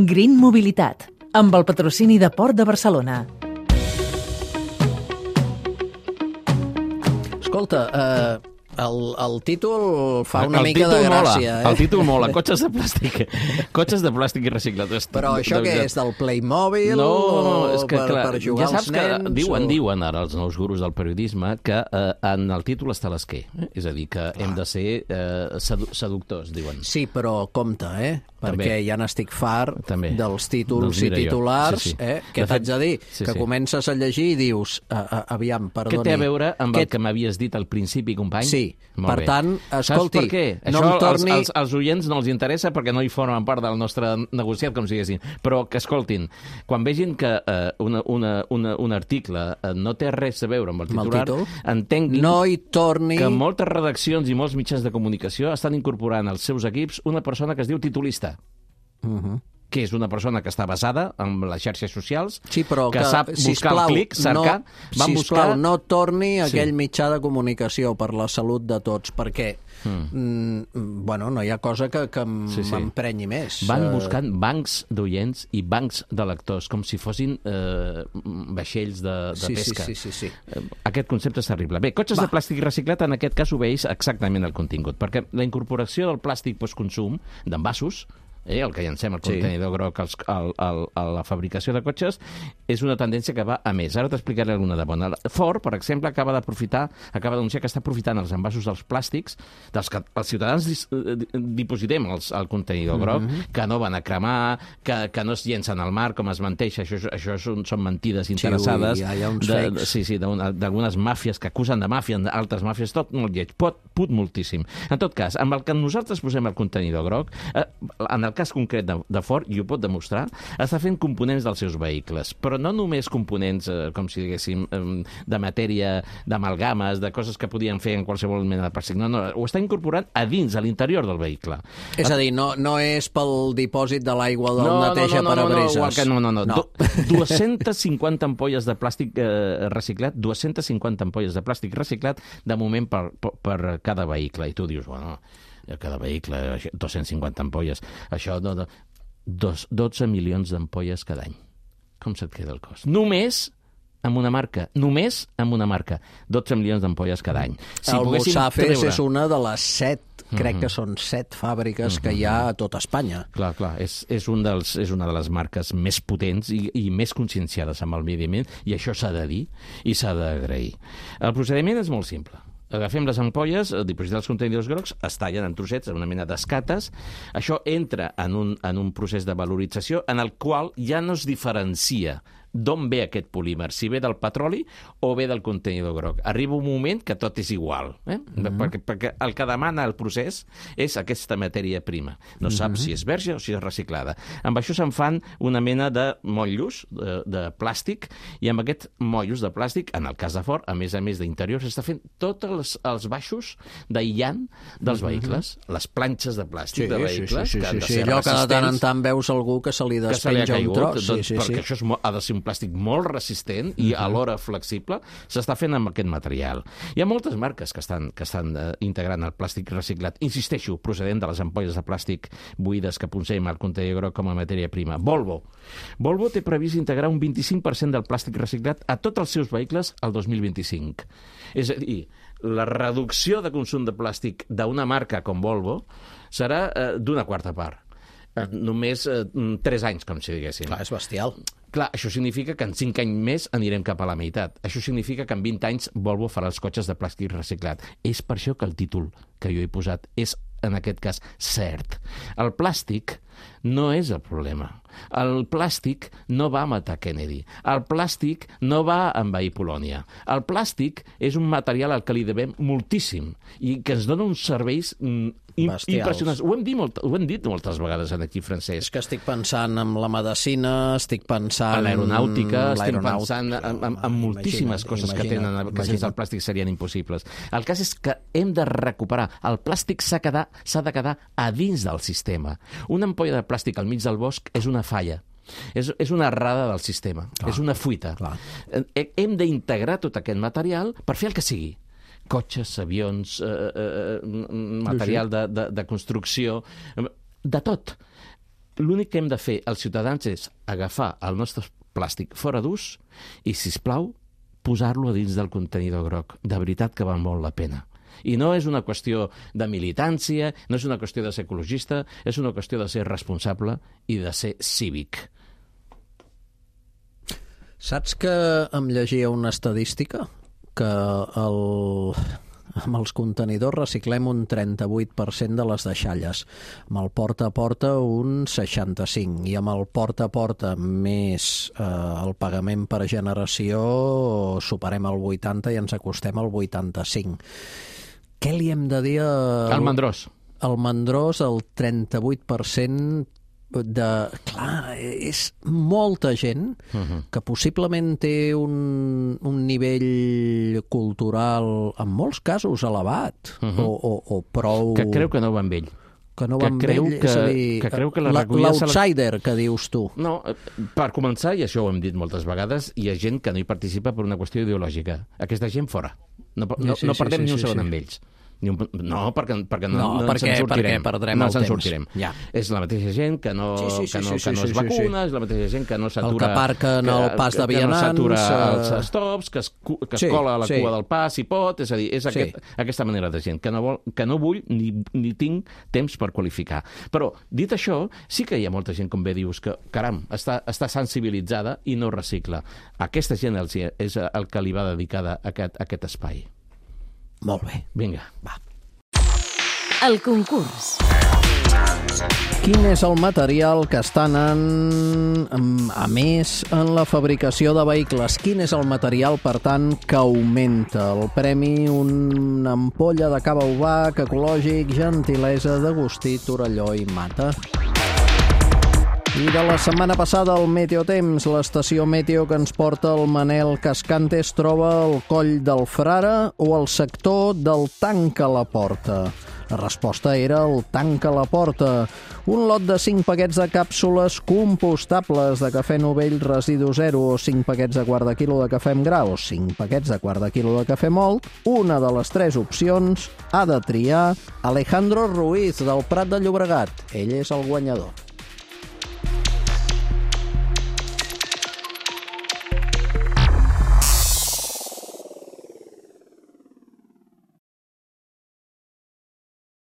Green Mobilitat, amb el patrocini de Port de Barcelona. Escolta, el títol fa una mica de gràcia. El títol mola, cotxes de plàstic. Cotxes de plàstic i reciclats. Però això què és, del Playmobil? No, és que clar, per jugar ja als saps nens? que diuen ara els nous gurus del periodisme que en el títol està l'esquer. És a dir, que hem de ser seductors, diuen. Sí, però compte, perquè ja n'estic fart dels títols i titulars, que t'haig de dir, que comences a llegir i dius, aviam, perdoni. Què té a veure amb el que m'havies dit al principi, company? Sí, per tant, escolti, saps per què? Això als oients no els interessa perquè no hi formen part del nostre negociat, com si diguessin. Però que escoltin, quan vegin que un article no té res a veure amb el titular, entenguin que moltes redaccions i molts mitjans de comunicació estan incorporant als seus equips una persona que es diu titulista. Que és una persona que està basada en les xarxes socials, que sap buscar el clic, cercar... Sisplau, no torni a aquell mitjà de comunicació per la salut de tots, perquè no hi ha cosa que m'emprenyi més. Van buscant bancs d'oients i bancs de lectors, com si fossin vaixells de pesca. Sí. Aquest concepte és terrible. Bé, cotxes de plàstic reciclat, en aquest cas obeeix exactament el contingut, perquè la incorporació del plàstic postconsum d'envasos, el que llancem al contenidor groc a la fabricació de cotxes, és una tendència que va a més. Ara t'explicaré alguna de bona. Ford, per exemple, acaba d'anunciar que està aprofitant els envasos dels plàstics dels que els ciutadans dipositem al contenidor groc, que no van a cremar, que no es llencen al mar, com es menteix. Això són mentides interessades d'algunes màfies que acusen de màfia, d'altres màfies, tot molt lleig, put moltíssim. En tot cas, amb el que nosaltres posem al contenidor groc, en el cas concret de Ford, i ho pot demostrar, està fent components dels seus vehicles, però no només components, com si diguéssim, de matèria, d'amalgames, de coses que podien fer en qualsevol mena de plàstic. No, ho està incorporant a dins, a l'interior del vehicle. És a dir, no és pel dipòsit de l'aigua del neteja parabrises. No. 250 ampolles de plàstic reciclat, 250 ampolles de plàstic reciclat, de moment per cada vehicle. I tu dius, bueno, cada vehicle, 250 ampolles. Això, 12 milions d'ampolles cada any. Com se't queda el cost? Només amb una marca. 12 milions d'ampolles cada any. El Musafes és una de les 7, crec que són 7 fàbriques que hi ha a tot Espanya. Clar, és una de les marques més potents i més conscienciades amb el medi ambient, i això s'ha de dir i s'ha d'agrair. El procediment és molt simple. Agafem les ampolles, dipositem els contenidors grocs, es tallen en trossets, en una mena d'escates. Això entra en un procés de valorització en el qual ja no es diferencia d'on ve aquest polímer, si ve del petroli o ve del contenidor groc. Arriba un moment que tot és igual, perquè el que demana el procés és aquesta matèria prima. No sap si és verge o si és reciclada. Amb això se'n fan una mena de motllos de plàstic, i amb aquests motllos de plàstic, en el cas de Ford, a més d'interior, s'està fent tots els baixos d'aïllant dels vehicles, les planxes de plàstic de vehicles, que han de ser allò que de tant en tant veus algú que se li despenja un tros. Perquè això ha de ser un plàstic molt resistent i alhora flexible, s'està fent amb aquest material. Hi ha moltes marques que estan integrant el plàstic reciclat. Insisteixo, procedent de les ampolles de plàstic buides que posem al contenidor groc com a matèria prima. Volvo té previst integrar un 25% del plàstic reciclat a tots els seus vehicles al 2025. És a dir, la reducció de consum de plàstic d'una marca com Volvo serà d'una quarta part. Només 3 anys, com si diguéssim. Clar, és bestial. Clar, això significa que en 5 anys més anirem cap a la meitat. Això significa que en 20 anys Volvo farà els cotxes de plàstic reciclat. És per això que el títol que jo he posat és, en aquest cas, cert. El plàstic no és el problema. El plàstic no va matar Kennedy. El plàstic no va envair Polònia. El plàstic és un material al que li devem moltíssim i que ens dona uns serveis impressionants. Ho hem dit moltes vegades aquí, Francesc. És que estic pensant en la medicina, estic pensant en l'aeronàutica, estic pensant en moltíssimes coses que sense el plàstic serien impossibles. El cas és que hem de recuperar. El plàstic s'ha de quedar a dins del sistema. Una ampolla de plàstic al mig del bosc és una falla. És una errada del sistema, és una fuita. Hem d'integrar tot aquest material per fer el que sigui. Cotxes, avions, material de construcció, de tot. l'únic que hem de fer els ciutadans és agafar el nostre plàstic fora d'ús i, sisplau, posar-lo a dins del contenidor groc. De veritat que val molt la pena. I no és una qüestió de militància, no és una qüestió de ser ecologista, és una qüestió de ser responsable i de ser cívic. Saps que em llegia una estadística? Que amb els contenidors reciclem un 38% de les deixalles, amb el porta a porta un 65%, i amb el porta a porta més el pagament per generació superem el 80% i ens acostem al 85%. Què li hem de dir al mandrós? El mandrós, el 38% Clar, és molta gent que possiblement té un nivell cultural, en molts casos, elevat, o prou... Que creu que no va amb ell. Que no va amb ell, és a dir, l'outsider que dius tu. No, per començar, i això ho hem dit moltes vegades, hi ha gent que no hi participa per una qüestió ideològica. Aquesta gent fora. No perdem ni un segon amb ells. No, perquè no ens en sortirem. No ens en sortirem. Ja. És la mateixa gent que no es vacuna, és la mateixa gent que no s'atura... El que aparquen al pas de vianants... Que no s'atura als stops, que es cola a la cua del pas, si pot... És a dir, és aquesta manera de gent que no vull ni tinc temps per qualificar. Però, dit això, sí que hi ha molta gent, com bé dius, que, caram, està sensibilitzada i no recicla. Aquesta gent és el que li va dedicada aquest espai. Molt bé. Vinga. Va. El concurs. Quin és el material que està anant a més en la fabricació de vehicles? Quin és el material, per tant, que augmenta? El premi, una ampolla de cava Ubac, ecològic, gentilesa d'Agustí Torelló i Mata. I de la setmana passada, el Meteotemps, l'estació meteo que ens porta el Manel Cascante, es troba al Coll del Frare o al sector del Tanca la Porta. La resposta era el Tanca la Porta. Un lot de 5 paquets de càpsules compostables de cafè Novell residu zero o 5 paquets de quart de quilo de cafè amb gra o 5 paquets de quart de quilo de cafè mòlt. Una de les 3 opcions ha de triar Alejandro Ruiz, del Prat de Llobregat. Ell és el guanyador.